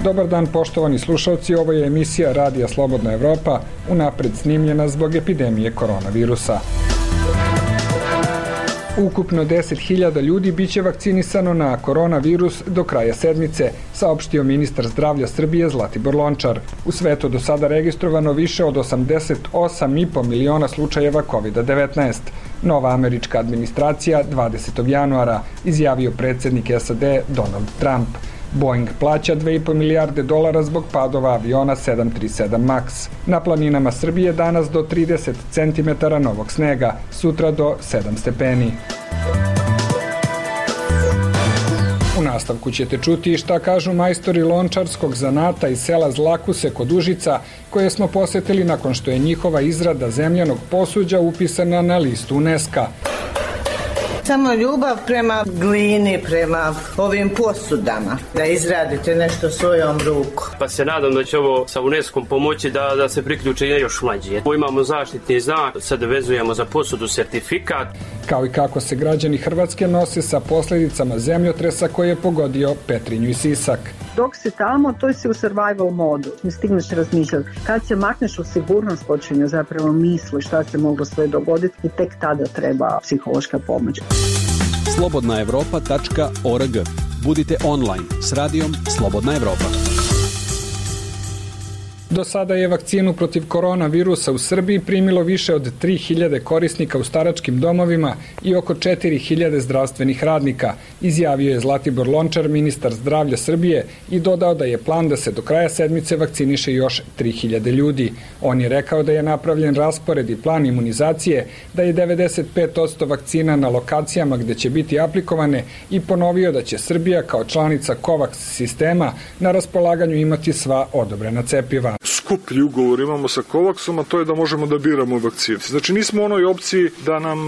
Dobar dan poštovani slušalci, ovo je emisija Radija Slobodna Evropa, unapred snimljena zbog epidemije koronavirusa. Ukupno 10.000 ljudi biće vakcinisano na koronavirus do kraja sedmice, saopštio ministar zdravlja Srbije Zlatibor Lončar. U svetu do sada registrovano više od 88,5 miliona slučajeva COVID-19. Nova američka administracija 20. januara, izjavio predsjednik SAD Donald Trump. Boeing plaća $2,5 milijarde zbog padova aviona 737 MAX. Na planinama Srbije danas do 30 cm novog snega, sutra do 7 stepeni. U nastavku ćete čuti šta kažu majstori lončarskog zanata iz sela Zlakuse kod Užica, koje smo posetili nakon što je njihova izrada zemljanog posuđa upisana na listu UNESCO-a. Samo ljubav prema glini, prema ovim posudama, da izradite nešto svojom rukom. Pa se nadam da će ovo sa UNESCO-om pomoći da se priključe još mlađi. Imamo zaštitni znak, sad vezujemo za posudu sertifikat. Kao i kako se građani Hrvatske nose sa posljedicama zemljotresa koji je pogodio Petrinju i Sisak. Dok si tamo, to si u survival modu. Ne stigneš razmišljati. Kad se makneš u sigurnost, počinju zapravo misli šta se moglo sve dogoditi i tek tada treba psihološka pomoć. slobodnaevropa.org. Budite online s radijom Slobodna Evropa. Do sada je vakcinu protiv koronavirusa u Srbiji primilo više od 3.000 korisnika u staračkim domovima i oko 4.000 zdravstvenih radnika, izjavio je Zlatibor Lončar, ministar zdravlja Srbije, i dodao da je plan da se do kraja sedmice vakciniše još 3.000 ljudi. On je rekao da je napravljen raspored i plan imunizacije, da je 95% vakcina na lokacijama gde će biti aplikovane i ponovio da će Srbija kao članica COVAX sistema na raspolaganju imati sva odobrena cepiva. Skuplji ugovor imamo sa COVAX-om, a to je da možemo da biramo vakcine. Znači nismo u onoj opciji da nam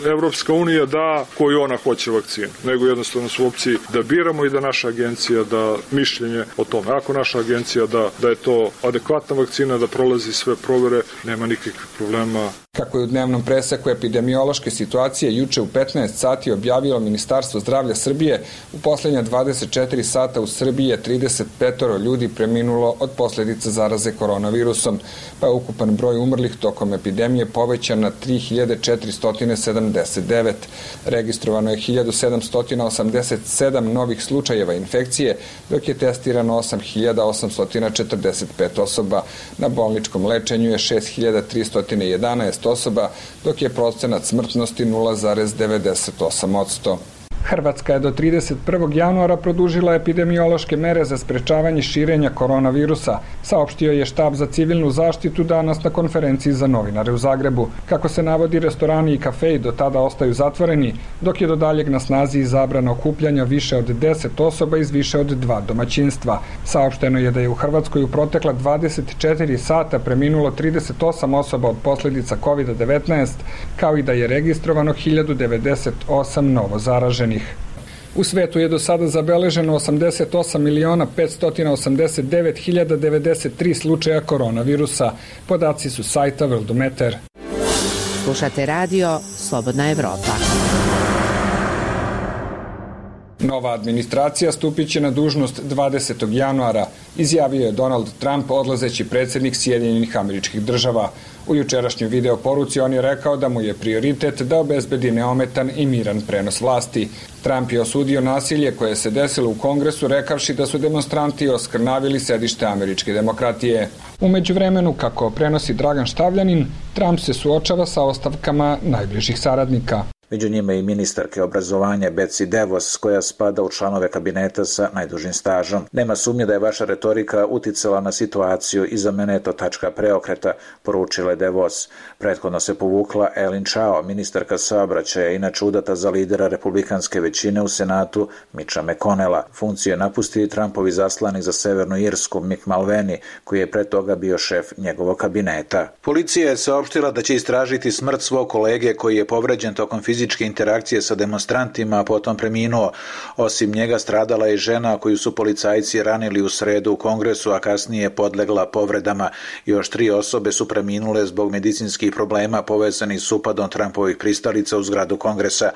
Evropska unija da koju ona hoće vakcinu, nego jednostavno su u opciji da biramo i da naša agencija da mišljenje o tome. Ako naša agencija da je to adekvatna vakcina, da prolazi sve provere, nema nikakvih problema. Kako je u dnevnom preseku epidemiološke situacije juče u 15 sati objavilo Ministarstvo zdravlja Srbije, u poslednja 24 sata u Srbiji je 35 ljudi preminulo od posljedica zaraze koronavirusom, pa je ukupan broj umrlih tokom epidemije povećan na 3.479. Registrovano je 1.787 novih slučajeva infekcije, dok je testirano 8.845 osoba. Na bolničkom lečenju je 6.311 osoba, dok je procenat smrtnosti 0,98%. Hrvatska je do 31. januara produžila epidemiološke mere za sprečavanje širenja koronavirusa, saopštio je štab za civilnu zaštitu danas na konferenciji za novinare u Zagrebu. Kako se navodi, restorani i kafeji do tada ostaju zatvoreni, dok je do daljeg na snazi zabrana okupljanja više od 10 osoba iz više od 2 domaćinstva. Saopšteno je da je u Hrvatskoj u protekla 24 sata preminulo 38 osoba od posljedica COVID-19, kao i da je registrovano 1098 novo zaraženih. U svetu je do sada zabeleženo 88.589.093 slučaja koronavirusa. Podaci su sajta Worldometer. Slušate radio Slobodna Evropa. Nova administracija stupit će na dužnost 20. januara, izjavio je Donald Trump, odlazeći predsjednik Sjedinjenih Američkih Država. U jučerašnjoj video poruci on je rekao da mu je prioritet da obezbedi neometan i miran prenos vlasti. Trump je osudio nasilje koje se desilo u Kongresu, rekavši da su demonstranti oskrnavili sedište američke demokratije. U međuvremenu, kako prenosi Dragan Štavljanin, Trump se suočava sa ostavkama najbližih saradnika. Među njima i ministarke obrazovanja Betsy DeVos, koja spada u članove kabineta sa najdužim stažom. Nema sumnje da je vaša retorika uticala na situaciju i za mene je to tačka preokreta, poručila je DeVos. Prethodno se povukla Ellen Chao, ministarka saobraćaja, inače udata za lidera republikanske većine u Senatu Mitcha McConnella. Funkciju je napustio i Trumpovi zaslanik za Severnu Irsku Mick Mulvaney, koji je pre toga bio šef njegovog kabineta. Policija je saopštila da će istražiti smrt svog kolege koji je povređen tokom fizičkog fizičke interakcije sa demonstrantima, a potom preminuo. Osim njega stradala je žena koju su policajci ranili u sredu u Kongresu, a kasnije podlegla povredama. Još 3 osobe su preminule zbog medicinskih problema povezanih s upadom Trumpovih pristalica u zgradu Kongresa.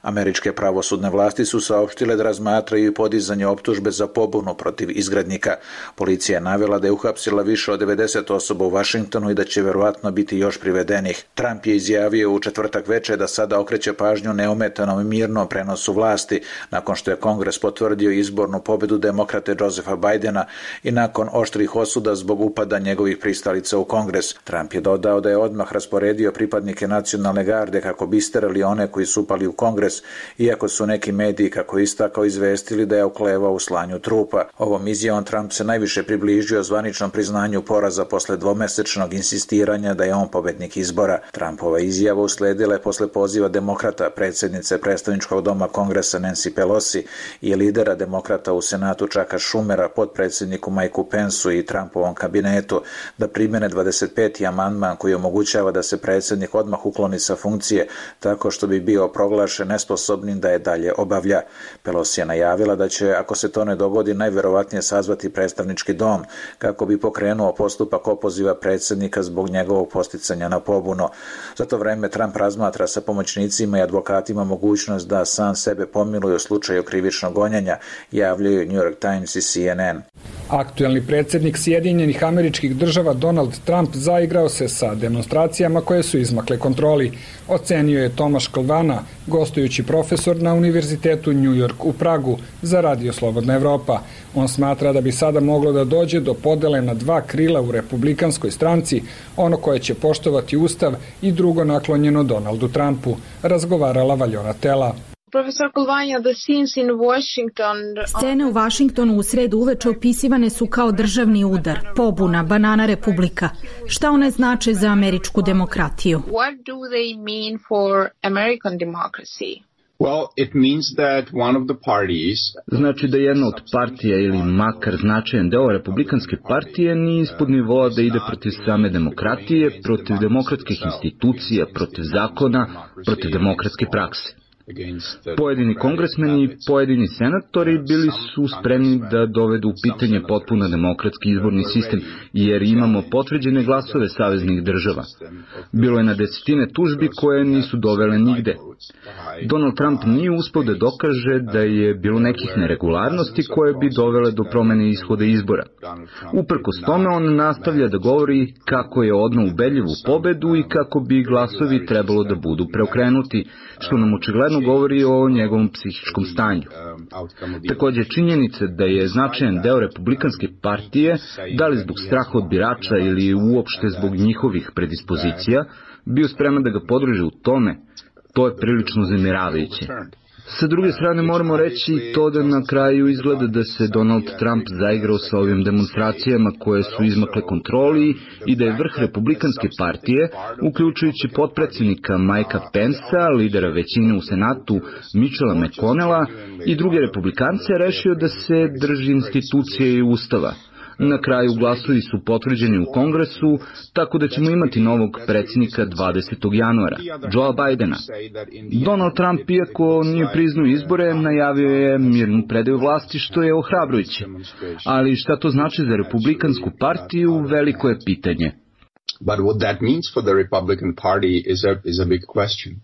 Američke pravosudne vlasti su saopštile da razmatraju podizanje optužbe za pobunu protiv izgrednika. Policija je navela da je uhapsila više od 90 osoba u Vašingtonu i da će verovatno biti još privedenih. Trump je izjavio u četvrtak veče da sada okreće pažnju neometanom i mirnom prenosu vlasti, nakon što je Kongres potvrdio izbornu pobedu demokrate Josepha Bidena i nakon oštrih osuda zbog upada njegovih pristalica u Kongres. Trump je dodao da je odmah rasporedio pripadnike nacionalne garde kako bi isterali one koji su upali u Kongres, iako su neki mediji, kako istakao, izvestili da je oklevao u slanju trupa. Ovom izjavom Trump se najviše približio zvaničnom priznanju poraza posle dvomesečnog insistiranja da je on pobednik izbora. Trumpova izjava usledila je posle poziva demokrata, predsjednice predstavničkog doma Kongresa Nancy Pelosi i lidera demokrata u Senatu Chucka Schumera, potpredsjedniku Mikeu Pensu i Trumpovom kabinetu da primene 25. amandman koji omogućava da se predsjednik odmah ukloni sa funkcije tako što bi bio proglašen nesposobnim da je dalje obavlja. Pelosi je najavila da će, ako se to ne dogodi, najverovatnije sazvati predstavnički dom kako bi pokrenuo postupak opoziva predsjednika zbog njegovog posticanja na pobunu. Za to vreme Trump razmatra sa pomoćnicima i advokatima mogućnost da sam sebe pomiluje u slučaju krivičnog gonjenja, javljaju New York Times i CNN. Aktuelni predsjednik Sjedinjenih Američkih Država Donald Trump zaigrao se sa demonstracijama koje su izmakle kontroli, ocenio je Tomaš Klvana, gostujući profesor na Univerzitetu New York u Pragu za Radio Slobodna Evropa. On smatra da bi sada moglo da dođe do podele na 2 krila u republikanskoj stranci, ono koje će poštovati Ustav i drugo naklonjeno Donaldu Trumpu, razgovarala Valjona Tela. Profesor Kolvanja, the scenes in Washington... Scene u Vašingtonu u sredu uveče opisivane su kao državni udar, pobuna, banana republika. Šta one znače za američku demokratiju? What do they mean for American democracy? Well, it means that one of the parties... Znači da jedna od partija ili makar značajan deo republikanske partije nije ispod nivoa da ide protiv same demokratije, protiv demokratskih institucija, protiv zakona, protiv demokratske prakse. Pojedini kongresmeni i pojedini senatori bili su spremni da dovedu u pitanje potpuno demokratski izborni sistem, jer imamo potvrđene glasove saveznih država. Bilo je na desetine tužbi koje nisu dovele nigde. Donald Trump nije uspeo da dokaže da je bilo nekih neregularnosti koje bi dovele do promene ishoda izbora. Uprkos tome on nastavlja da govori kako je odneo ubedljivu pobedu i kako bi glasovi trebalo da budu preokrenuti, što nam očigledno govori o njegovom psihičkom stanju. Također činjenica da je značajan deo republikanske partije, da li zbog straha od birača ili uopšte zbog njihovih predispozicija, bio spreman da ga podrže u tome, to je prilično uznemiravajuće. Sa druge strane moramo reći to da na kraju izgleda da se Donald Trump zaigrao sa ovim demonstracijama koje su izmakle kontroli i da je vrh republikanske partije, uključujući potpredsjednika Mikea Pensa, lidera većine u Senatu Mitchella McConnella i druge republikance, rešio da se drži institucije i ustava. Na kraju glasovi su potvrđeni u Kongresu, tako da ćemo imati novog predsjednika 20. januara, Joea Bidena. Donald Trump, iako nije priznao izbore, najavio je mirnu predaju vlasti, što je ohrabrujuće. Ali šta to znači za republikansku partiju, veliko je pitanje. But what that means for the Republican Party is a big question.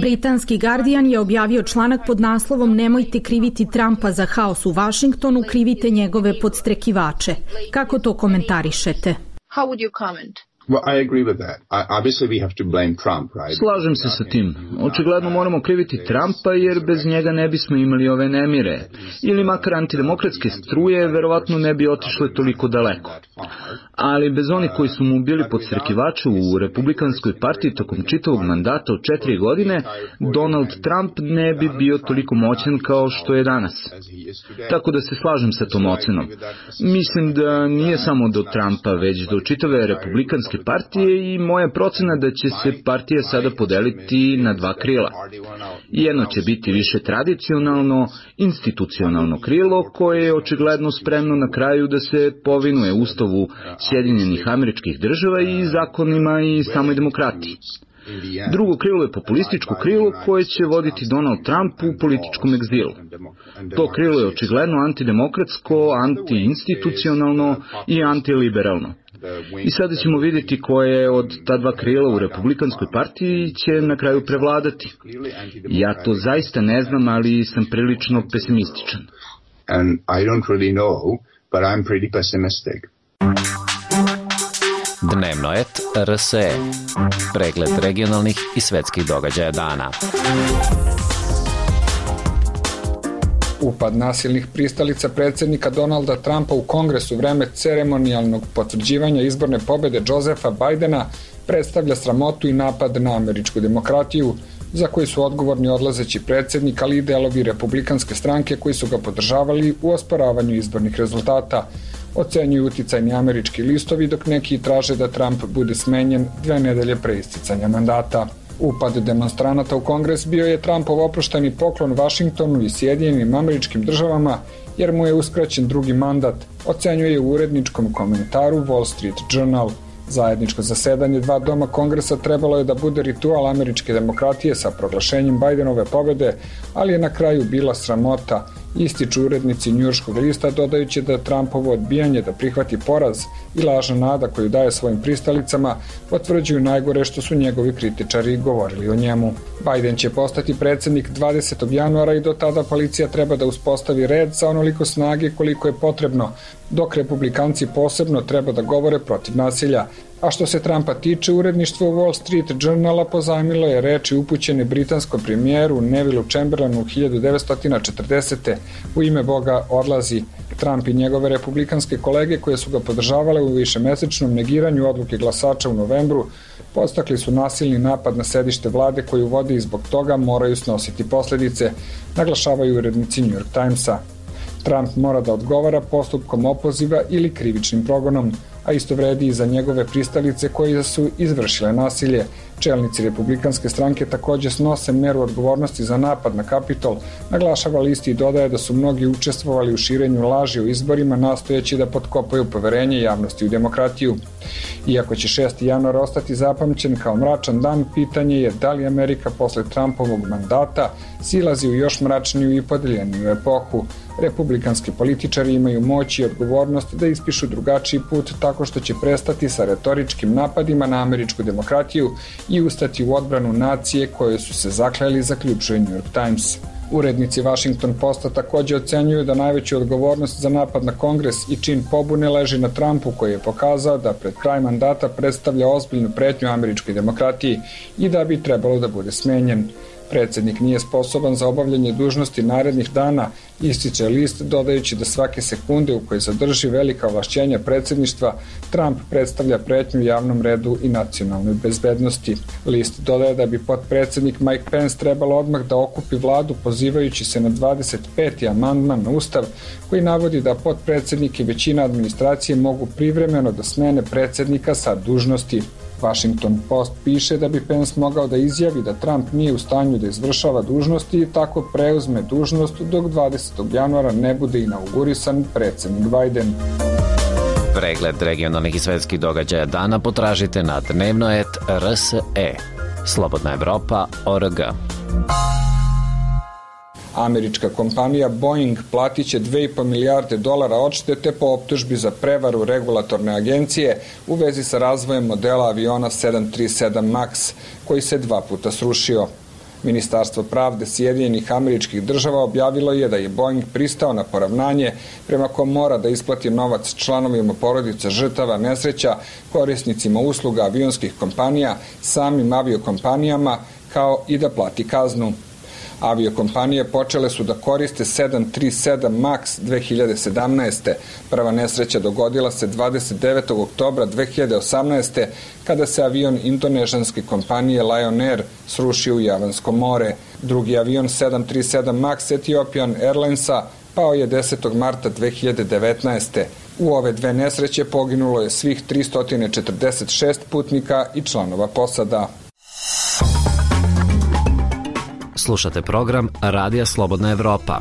Britanski Guardian je objavio članak pod naslovom "Nemojte kriviti Trumpa za haos u Vašingtonu, krivite njegove podstrekivače". Kako to komentarišete? How would you comment? Well, I agree with that. Obviously we have to blame Trump, right? Slažem se sa tim. Očigledno moramo kriviti Trumpa jer bez njega ne bismo imali ove nemire. Ili makar antidemokratske struje verovatno ne bi otišle toliko daleko. Ali bez onih koji su mu bili podstrekivači u republikanskoj partiji tokom čitavog mandata od 4 godine, Donald Trump ne bi bio toliko moćan kao što je danas. Tako da se slažem sa tom ocenom. Mislim da nije samo do Trumpa, već do čitave republikanske partije i moja procena da će se partija sada podeliti na 2 krila. Jedno će biti više tradicionalno, institucionalno krilo koje je očigledno spremno na kraju da se povinuje Ustavu Sjedinjenih Američkih Država i zakonima i samoj demokratiji. Drugo krilo je populističko krilo koje će voditi Donald Trump u političkom egzilu. To krilo je očigledno antidemokratsko, antiinstitucionalno i antiliberalno. I sada ćemo vidjeti koje od ta dva krila u Republikanskoj partiji će na kraju prevladati. Ja to zaista ne znam, ali sam prilično pesimističan. And I don't really know, but I'm pretty pessimistic. Dnevnoet RSE. Pregled regionalnih i svetskih događaja dana. Upad nasilnih pristalica predsjednika Donalda Trumpa u Kongresu vreme ceremonijalnog potvrđivanja izborne pobjede Josepha Bidena predstavlja sramotu i napad na američku demokratiju, za koji su odgovorni odlazeći predsjednik, ali i delovi republikanske stranke koji su ga podržavali u osporavanju izbornih rezultata, ocenjuju uticajni američki listovi, dok neki traže da Trump bude smenjen 2 nedelje pre isticanja mandata. Upad demonstranata u Kongres bio je Trumpov oprošteni poklon Vašingtonu i Sjedinjenim Američkim Državama, jer mu je uskraćen drugi mandat, ocenjuje u uredničkom komentaru Wall Street Journal. Zajedničko zasedanje 2 doma Kongresa trebalo je da bude ritual američke demokratije sa proglašenjem Bidenove pobjede, ali je na kraju bila sramota, ističu urednici njujorškog lista, dodajući da Trumpovo odbijanje da prihvati poraz i lažna nada koju daje svojim pristalicama potvrđuju najgore što su njegovi kritičari govorili o njemu. Biden će postati predsjednik 20. januara i do tada policija treba da uspostavi red sa onoliko snage koliko je potrebno, dok republikanci posebno treba da govore protiv nasilja. A što se Trumpa tiče, uredništvo Wall Street Journala pozajmilo je reči upućene britanskom premijeru Nevillu Chamberlainu 1940. U ime Boga odlazi. Trump i njegove republikanske kolege koje su ga podržavale u višemesečnom negiranju odluke glasača u novembru podstakli su nasilni napad na sedište vlade koju vode i zbog toga moraju snositi posljedice, naglašavaju urednici New York Timesa. Trump mora da odgovara postupkom opoziva ili krivičnim progonom, a isto vredi i za njegove pristalice koje su izvršile nasilje. Čelnici republikanske stranke također snose meru odgovornosti za napad na Kapitol, naglašava list i dodaje da su mnogi učestvovali u širenju laži o izborima nastojeći da potkopaju poverenje javnosti u demokratiju. Iako će 6. januar ostati zapamćen kao mračan dan, pitanje je da li Amerika posle Trumpovog mandata silazi u još mračniju i podeljeniju epohu. Republikanski političari imaju moć i odgovornost da ispišu drugačiji put tako što će prestati sa retoričkim napadima na američku demokratiju i ustati u odbranu nacije koje su se zakleli, zaključuje New York Times. Urednici Washington Posta također ocenjuju da najveću odgovornost za napad na Kongres i čin pobune leži na Trumpu, koji je pokazao da pred kraj mandata predstavlja ozbiljnu pretnju američkoj demokratiji i da bi trebalo da bude smenjen. Predsjednik nije sposoban za obavljanje dužnosti narednih dana, ističe list, dodajući da svake sekunde u kojoj zadrži velika ovlašćenja predsjedništva, Trump predstavlja pretnju javnom redu i nacionalnoj bezbednosti. List dodaje da bi potpredsjednik Mike Pence trebalo odmah da okupi vladu pozivajući se na 25. amandman na Ustav, koji navodi da potpredsjednik i većina administracije mogu privremeno da smene predsjednika sa dužnosti. Washington Post piše da bi Pence mogao da izjavi da Trump nije u stanju da izvršava dužnosti i tako preuzme dužnost dok 20. januara ne bude inaugurisan predsjednik Biden. Pregled regionalnih i svetskih događaja dana potražite na Dnevnoet RSE. Slobodna Evropa.org. Američka kompanija Boeing platit će $2,5 milijarde odštete po optužbi za prevaru regulatorne agencije u vezi sa razvojem modela aviona 737 MAX, koji se 2 puta srušio. Ministarstvo pravde Sjedinjenih Američkih Država objavilo je da je Boeing pristao na poravnanje prema kom mora da isplati novac članovima porodica žrtava nesreća, korisnicima usluga avionskih kompanija, samim aviokompanijama, kao i da plati kaznu. Aviokompanije počele su da koriste 737 MAX 2017. Prva nesreća dogodila se 29. oktobra 2018. kada se avion indonežanske kompanije Lion Air srušio u Javansko more. Drugi avion 737 MAX Ethiopian Airlinesa pao je 10. marta 2019. U ove 2 nesreće poginulo je svih 346 putnika i članova posada. Slušate program Radija Slobodna Evropa.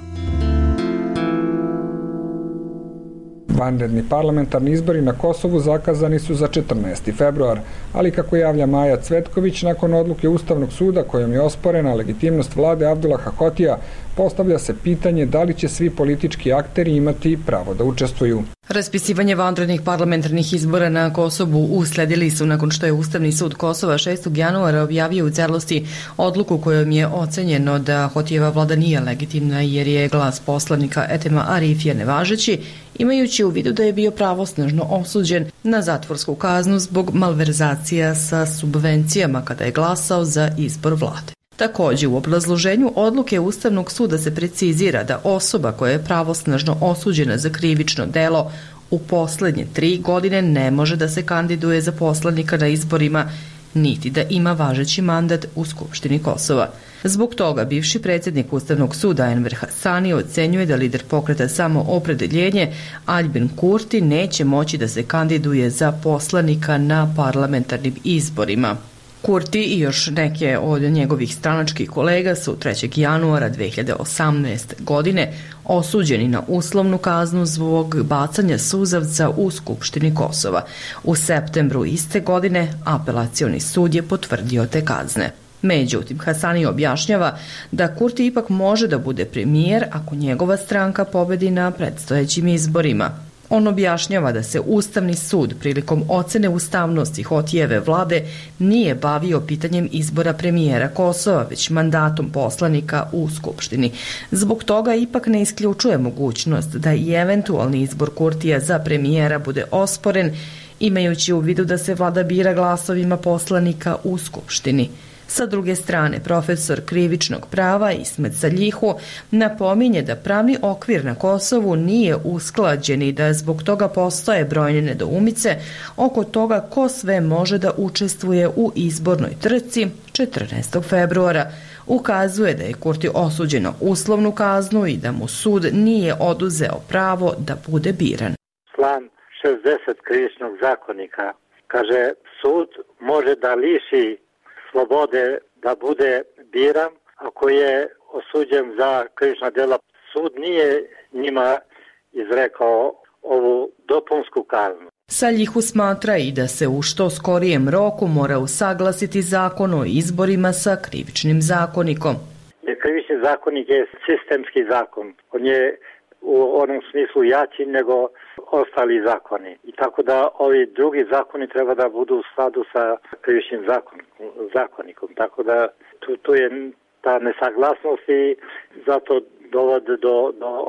Vanredni parlamentarni izbori na Kosovu zakazani su za 14. februar, ali kako javlja Maja Cvetković, nakon odluke Ustavnog suda kojom je osporena legitimnost vlade Abdullaha Hotija, postavlja se pitanje da li će svi politički akteri imati pravo da učestvuju. Raspisivanje vanrednih parlamentarnih izbora na Kosovu usledili su nakon što je Ustavni sud Kosova 6. januara objavio u celosti odluku kojom je ocenjeno da Hotijeva vlada nije legitimna jer je glas poslanika Etema Arifija nevažeći, imajući u vidu da je bio pravosnažno osuđen na zatvorsku kaznu zbog malverzacija sa subvencijama kada je glasao za izbor vlade. Takođe, u obrazloženju odluke Ustavnog suda se precizira da osoba koja je pravosnažno osuđena za krivično delo u poslednje 3 godine ne može da se kandiduje za poslanika na izborima, niti da ima važeći mandat u Skupštini Kosova. Zbog toga bivši predsjednik Ustavnog suda Enver Hasani ocenjuje da lider pokreta Samoopredeljenje Aljbin Kurti neće moći da se kandiduje za poslanika na parlamentarnim izborima. Kurti i još neke od njegovih stranačkih kolega su 3. januara 2018. godine osuđeni na uslovnu kaznu zbog bacanja suzavca u Skupštini Kosova. U septembru iste godine apelacioni sud je potvrdio te kazne. Međutim, Hasani objašnjava da Kurti ipak može da bude premijer ako njegova stranka pobedi na predstojećim izborima. On objašnjava da se Ustavni sud prilikom ocene ustavnosti Hotijeve vlade nije bavio pitanjem izbora premijera Kosova, već mandatom poslanika u Skupštini. Zbog toga ipak ne isključuje mogućnost da i eventualni izbor Kurtija za premijera bude osporen, imajući u vidu da se vlada bira glasovima poslanika u Skupštini. Sa druge strane, profesor krivičnog prava Ismet Saljihu napominje da pravni okvir na Kosovu nije usklađen i da zbog toga postoje brojne nedoumice oko toga ko sve može da učestvuje u izbornoj trci 14. februara. Ukazuje da je Kurti osuđen na uslovnu kaznu i da mu sud nije oduzeo pravo da bude biran. Član 60 krivičnog zakonika kaže sud može da liši slobode da bude biran ako je osuđen za krivična dela. Sud nije njima izrekao ovu dopunsku kaznu. Saljihu smatra i da se u što skorijem roku mora usaglasiti zakon o izborima sa krivičnim zakonikom. Krivični zakonik je sistemski zakon. On je u onom smislu jači nego ostali zakoni. I tako da ovi drugi zakoni treba da budu u skladu sa krivičnim zakonikom. Tako da tu je ta nesaglasnost i zato dovode do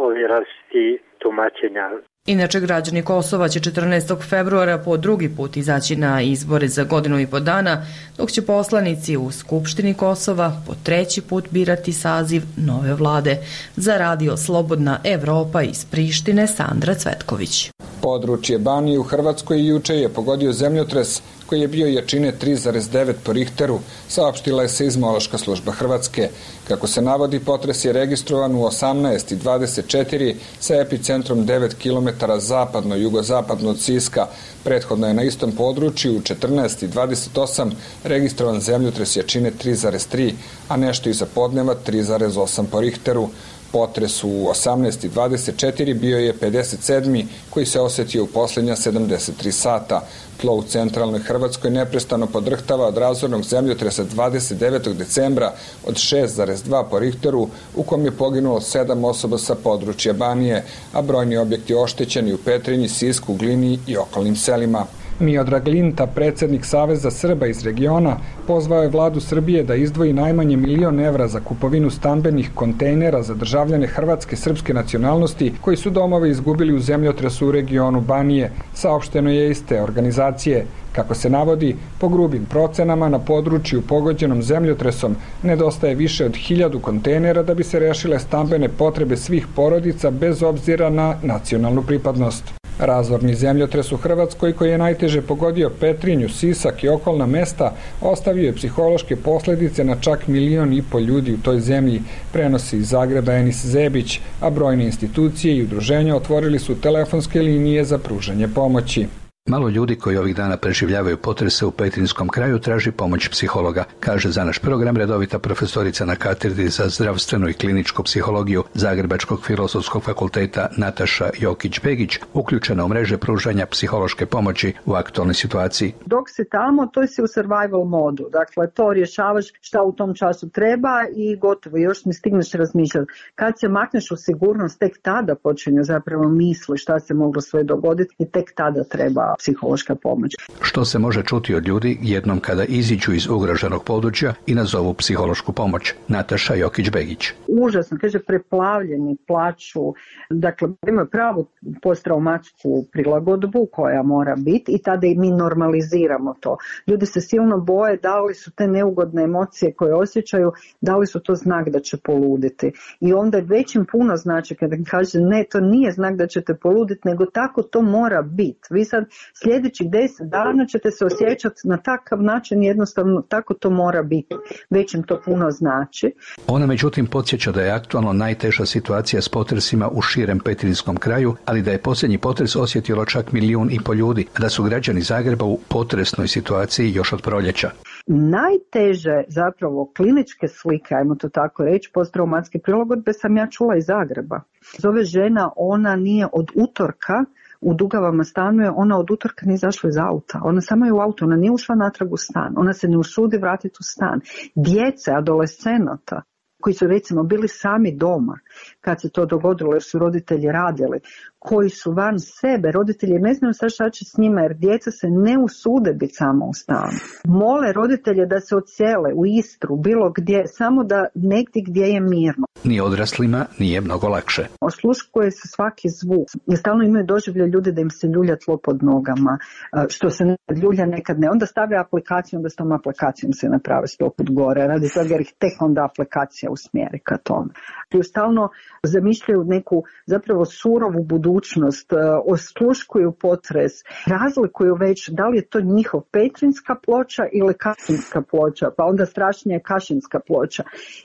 ovih različitih tumačenja. Inače, građani Kosova će 14. februara po drugi put izaći na izbore za 1.5 godina, dok će poslanici u Skupštini Kosova po 3. put birati saziv nove vlade. Za Radio Slobodna Evropa iz Prištine, Sandra Cvetković. Područje Banije u Hrvatskoj juče je pogodio zemljotres koji je bio jačine 3,9 po Richteru, saopštila je Seizmološka služba Hrvatske. Kako se navodi, potres je registrovan u 18:24 sa epicentrom 9 km zapadno-jugozapadno od Siska. Prethodno je na istom području u 14:28 registrovan zemljotres jačine 3,3, a nešto iza podneva 3,8 po Richteru. Potres u 18:24 bio je 57. koji se osetio u posljednja 73 sata. Tlo u centralnoj Hrvatskoj neprestano podrhtava od razornog zemljotresa 29. decembra od 6,2 po Richteru, u kom je poginulo 7 osoba sa područja Banije, a brojni objekti oštećeni u Petrinji, Sisku, Glini i okolnim selima. Miodrag Linta, predsjednik Saveza Srba iz regiona, pozvao je vladu Srbije da izdvoji najmanje 1.000.000 evra za kupovinu stambenih kontejnera za državljane hrvatske srpske nacionalnosti koji su domove izgubili u zemljotresu u regionu Banije, saopšteno je iz te organizacije. Kako se navodi, po grubim procenama na području pogođenom zemljotresom nedostaje više od 1.000 kontejnera da bi se rešile stambene potrebe svih porodica bez obzira na nacionalnu pripadnost. Razorni zemljotres u Hrvatskoj, koji je najteže pogodio Petrinju, Sisak i okolna mesta, ostavio je psihološke posljedice na čak 1,5 miliona ljudi u toj zemlji, prenosi iz Zagreba Enis Zebić, a brojne institucije i udruženja otvorili su telefonske linije za pružanje pomoći. Malo ljudi koji ovih dana preživljavaju potrese u Petrinjskom kraju traži pomoć psihologa, kaže za naš program redovita profesorica na katedri za zdravstvenu i kliničku psihologiju Zagrebačkog filozofskog fakulteta Nataša Jokić-Begić, uključena u mreže pružanja psihološke pomoći u aktualnoj situaciji. Dok si tamo, to si u survival modu. Dakle, to rješavaš šta u tom času treba i gotovo. Još ne stigneš razmišljati. Kad se makneš u sigurnost, tek tada počinju zapravo misli šta se moglo sve dogoditi i tek tada treba psihološka pomoć. Što se može čuti od ljudi jednom kada iziđu iz ugroženog područja i nazovu psihološku pomoć? Nataša Jokić-Begić. Užasno, kaže, preplavljeni, plaču, dakle, imaju pravu posttraumatsku prilagodbu koja mora biti i tada i mi normaliziramo to. Ljudi se silno boje da li su te neugodne emocije koje osjećaju, da li su to znak da će poluditi. I onda već im puno znači kada kaže ne, to nije znak da ćete poluditi, nego tako to mora biti. Vi sad sljedećih 10 dana ćete se osjećati na takav način, jednostavno tako to mora biti. Već im to puno znači. Ona međutim podsjeća da je aktualno najteža situacija s potresima u širem Petrinjskom kraju, ali da je posljednji potres osjetilo čak 1,5 milijuna ljudi, a da su građani Zagreba u potresnoj situaciji još od proljeća. Najteže zapravo kliničke slike, ajmo to tako reći, posttraumatske prilagodbe sam ja čula iz Zagreba. Zove žena, ona nije od utorka u Dugavama stanuje, ona od utorka nije izašla iz auta. Ona samo je u auto, ona nije ušla natrag u stan. Ona se ne usudi vratiti u stan. Djece, adolescenata, koji su recimo bili sami doma kad se to dogodilo jer su roditelji radili, koji su van sebe, roditelji ne znaju sad šta će s njima jer djeca se ne usude biti samo u stanu. Mole roditelje da se odsele u Istru, bilo gdje, samo da negdje gdje je mirno. Ni odraslima nije mnogo lakše. Osluškuje se svaki zvuk. I stalno imaju doživlje ljudi da im se ljulja tlo pod nogama, što se nekad ljulja, nekad ne. Onda stave aplikaciju, onda s tom aplikacijom se naprave 100 put gore, radi toga jer ih tek onda aplikacija usmjeri ka tome. I stalno zamišljaju neku zapravo surovu budućnost, osluškuju potres, razlikuju već da li je to njihov Petrinjska ploča ili Kašinska ploča, pa onda strašnije Kašinska ploča.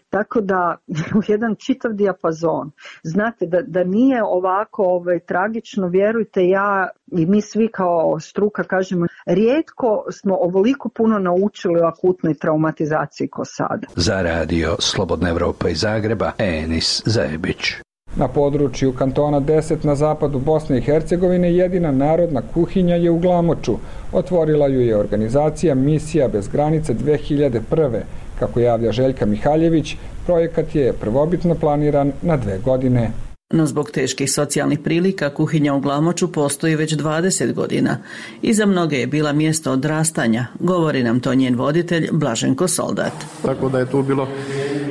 Tako da u jedan čitav dijapazon. Znate da nije ovako tragično, vjerujte, ja i mi svi kao struka kažemo, rijetko smo ovoliko puno naučili o akutnoj traumatizaciji ko sada. Za radio Slobodna Evropa iz Zagreba, Enis Zajebić. Na području kantona 10 na zapadu Bosne i Hercegovine jedina narodna kuhinja je u Glamoču. Otvorila ju je organizacija Misija bez granice 2001. Kako javlja Željka Mihaljević, projekat je prvobitno planiran na 2 godine. No zbog teških socijalnih prilika kuhinja u Glamoču postoji već 20 godina i za mnoge je bila mjesto odrastanja, govori nam to njen voditelj Blaženko Soldat. Tako da je tu bilo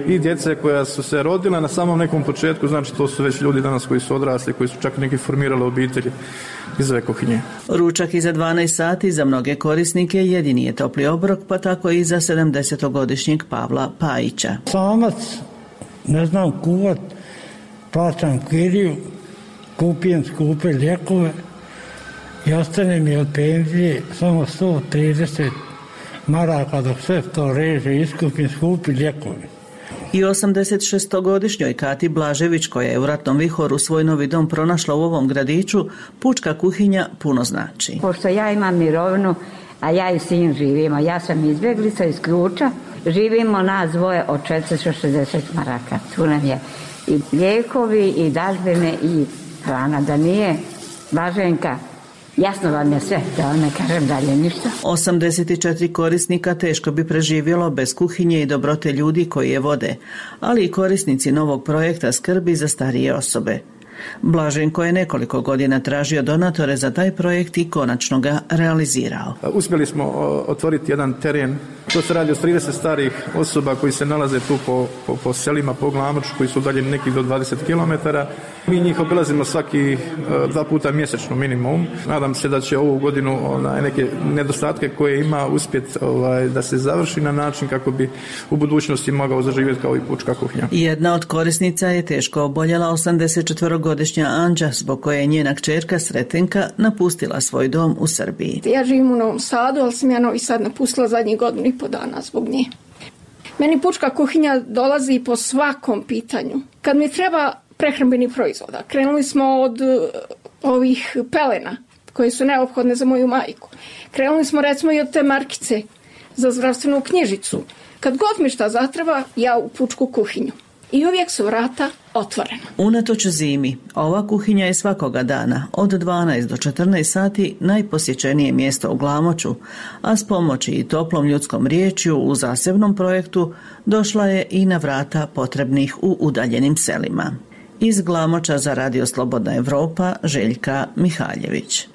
i djece koja su se rodila na samom nekom početku, znači to su već ljudi danas koji su odrasli, koji su čak neki formirali obitelji iz ove kuhinje. Ručak iza 12 sati za mnoge korisnike jedini je topli obrok, pa tako i za 70-godišnjeg Pavla Pajića. Samac, ne znam kuvat, plaćam kiriju, kupijem skupe lijekove i ostane mi od penzije samo 130 maraka dok sve to reže, iskupim skupi lijekovi. I 86-godišnjoj Kati Blažević, koja je u ratnom vihoru svoj novi dom pronašla u ovom gradiću, pučka kuhinja puno znači. Pošto ja imam mirovinu, a ja i sin živimo, ja sam izbjeglica iz Ključa, živimo nas dvoje od 460 maraka. Tu nam je i lijekovi, i dažbine, i hrana. Da nije Blaženka, jasno vam je sve, da vam ne kažem dalje ništa. 84 korisnika teško bi preživjelo bez kuhinje i dobrote ljudi koji je vode, ali i korisnici novog projekta skrbi za starije osobe. Blaženko je nekoliko godina tražio donatore za taj projekt i konačno ga realizirao. Uspjeli smo otvoriti jedan teren. To se radi o 30 starih osoba koji se nalaze tu po selima, po Glamoču, koji su udaljeni nekih do 20 km. Mi njih obilazimo svaki 2 puta mjesečno minimum. Nadam se da će ovu godinu neke nedostatke koje ima uspjeti da se završi na način kako bi u budućnosti mogao zaživjeti kao i pučka kuhinja. Jedna od korisnica je teško oboljela 84-godišnja Anđa, zbog koje je njena kćerka Sretenka napustila svoj dom u Srbiji. Ja živim u Novom Sadu, ali sam ja Novi Sad napustila zadnjih 1,5 dana zbog nje. Meni pučka kuhinja dolazi po svakom pitanju. Kad mi treba prehrambeni proizvoda, krenuli smo od ovih pelena. koje su neophodne za moju majku. Krenuli smo recimo i od te markice za zdravstvenu knjižicu. Kad god mi šta zatreba, ja u pučku kuhinju. I uvijek su vrata otvorena. Unatoč zimi, ova kuhinja je svakoga dana od 12 do 14 sati najposjećenije mjesto u Glamoču, a s pomoći i toplom ljudskom riječju u zasebnom projektu došla je i na vrata potrebnih u udaljenim selima. Iz Glamoča za Radio Slobodna Evropa, Željka Mihaljević.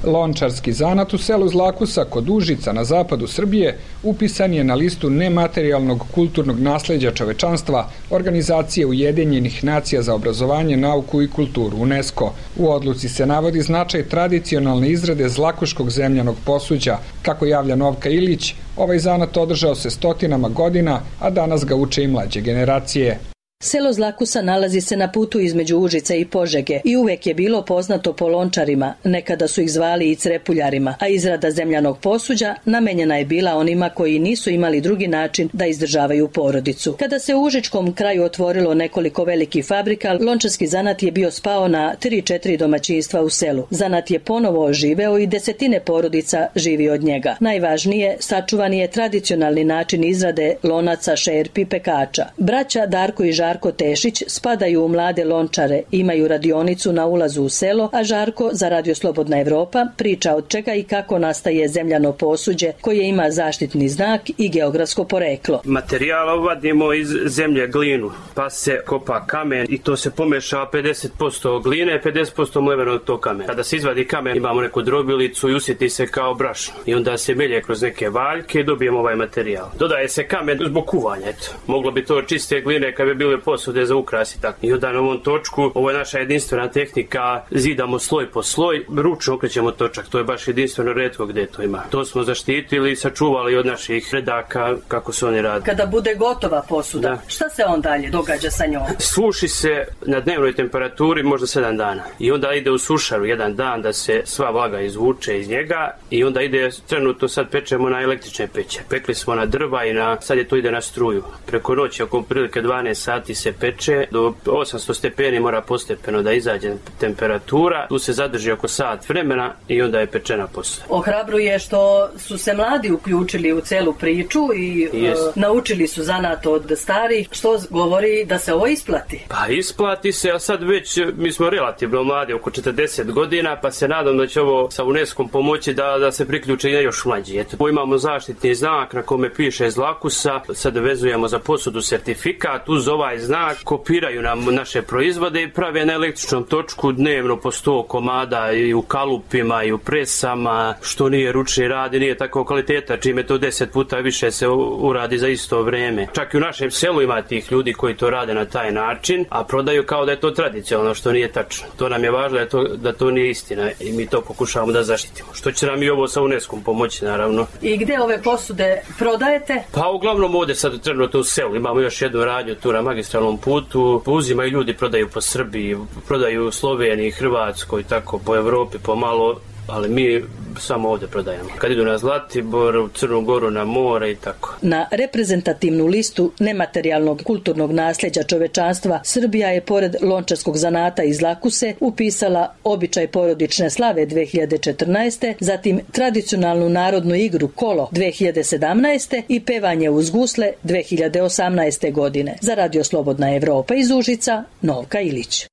Lončarski zanat u selu Zlakusa kod Užica na zapadu Srbije upisan je na listu nematerijalnog kulturnog nasleđa čovečanstva Organizacije Ujedinjenih nacija za obrazovanje, nauku i kulturu UNESCO. U odluci se navodi značaj tradicionalne izrade zlakuškog zemljanog posuđa. Kako javlja Novka Ilić, ovaj zanat održao se stotinama godina, a danas ga uče i mlađe generacije. Selo Zlakusa nalazi se na putu između Užica i Požege i uvek je bilo poznato po lončarima, nekada su ih zvali i crepuljarima, a izrada zemljanog posuđa namenjena je bila onima koji nisu imali drugi način da izdržavaju porodicu. Kada se u užičkom kraju otvorilo nekoliko velikih fabrika, lončarski zanat je bio spao na 3-4 domaćinstva u selu. Zanat je ponovo oživeo i desetine porodica živi od njega. Najvažnije, sačuvan je tradicionalni način izrade lonaca, šerpi, pekača. Braća Darko i Žarko Tešić spadaju u mlade lončare, imaju radionicu na ulazu u selo, a Žarko za Radio Slobodna Evropa priča od čega i kako nastaje zemljano posuđe koje ima zaštitni znak i geografsko poreklo. Materijal vadimo iz zemlje glinu, pa se kopa kamen i to se pomeša 50% gline, 50% mlevenog tog kamena. Kada se izvadi kamen imamo neku drobilicu i usjeti se kao brašno i onda se melje kroz neke valjke i dobijemo ovaj materijal. Dodaje se kamen zbog kuvanja, eto. Moglo bi to čiste gline kad bi bile posude za ukras i tako. I onda na ovom točku, ovo je naša jedinstvena tehnika, zidamo sloj po sloj, ručno okrećemo točak, to je baš jedinstveno retko gde to ima. To smo zaštitili i sačuvali od naših predaka kako su oni radili. Kada bude gotova posuda, šta se on dalje događa sa njom? Suši se na dnevnoj temperaturi možda 7 dana i onda ide u sušaru 1 dan da se sva vlaga izvuče iz njega i onda ide, trenutno sad pečemo na električne peće. Pekli smo na drva i sad je to ide na struju. Preko noći oko prilike 12 sati se peče, do 800 stepeni mora postepeno da izađe temperatura, tu se zadrži oko sat vremena i onda je pečena posuda. Ohrabruje što su se mladi uključili u celu priču i naučili su zanat od starih, što govori da se ovo isplati. Pa isplati se, a sad već mi smo relativno mladi, oko 40 godina, pa se nadam da će ovo sa UNESCO-om pomoći da se priključe i još mlađi. Eto, imamo zaštitni znak na kome piše Zlakusa, sad vezujemo za posudu sertifikat, uz ovaj znak kopiraju nam naše proizvode i prave na električnom točku dnevno po 100 komada i u kalupima i u presama, što nije ručni rad i nije tako kvaliteta, čime to 10 puta više se uradi za isto vreme. Čak i u našem selu ima tih ljudi koji to rade na taj način, a prodaju kao da je to tradicionalno, što nije tačno. To nam je važno da to nije istina i mi to pokušavamo da zaštitimo. Što će nam i ovo sa UNESCO-om pomoći, naravno. I gde ove posude prodajete? Pa uglavnom ovde sad trenutno u selu. Imamo još jednu radnju tu na magistralnom putu. Uzimaju ljudi, prodaju po Srbiji, prodaju u Sloveniji, Hrvatskoj, tako po Evropi, pomalo, ali mi samo ovde prodajemo. Kad idu na Zlatibor, u Crnu Goru, na more i tako. Na reprezentativnu listu nematerijalnog kulturnog nasljeđa čovečanstva Srbija je pored lončarskog zanata iz Zlakuse upisala običaj porodične slave 2014. zatim tradicionalnu narodnu igru Kolo 2017. i pevanje uz gusle 2018. godine. Za Radio Slobodna Evropa iz Užica, Novka Ilić.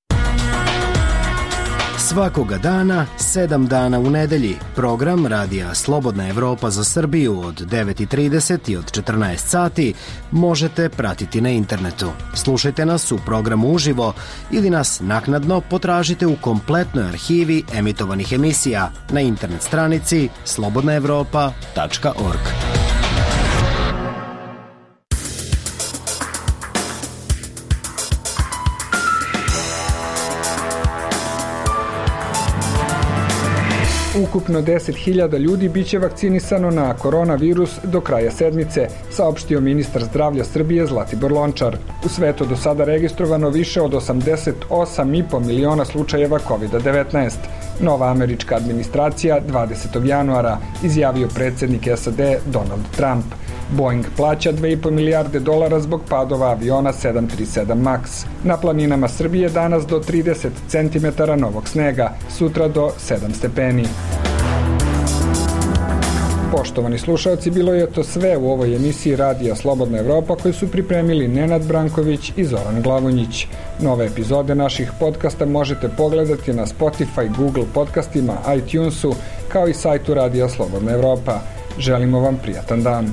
Svakoga dana, 7 dana u nedelji, program Radija Slobodna Evropa za Srbiju od 9:30 i od 14 sati možete pratiti na internetu. Slušajte nas u programu uživo ili nas naknadno potražite u kompletnoj arhivi emitovanih emisija na internet stranici slobodnaevropa.org. Ukupno 10.000 ljudi biće vakcinisano na koronavirus do kraja sedmice, saopštio ministar zdravlja Srbije Zlatibor Lončar. U svetu do sada registrovano više od 88,5 miliona slučajeva COVID-19. Nova američka administracija 20. januara, izjavio predsjednik SAD Donald Trump. Boeing plaća $2,5 milijarde zbog padova aviona 737 MAX. Na planinama Srbije danas do 30 cm novog snega, sutra do 7 stepeni. Poštovani slušalci, bilo je to sve u ovoj emisiji Radija Slobodna Evropa koju su pripremili Nenad Branković i Zoran Glavonjić. Nove epizode naših podcasta možete pogledati na Spotify, Google podcastima, iTunesu, kao i sajtu Radija Slobodna Evropa. Želimo vam prijatan dan.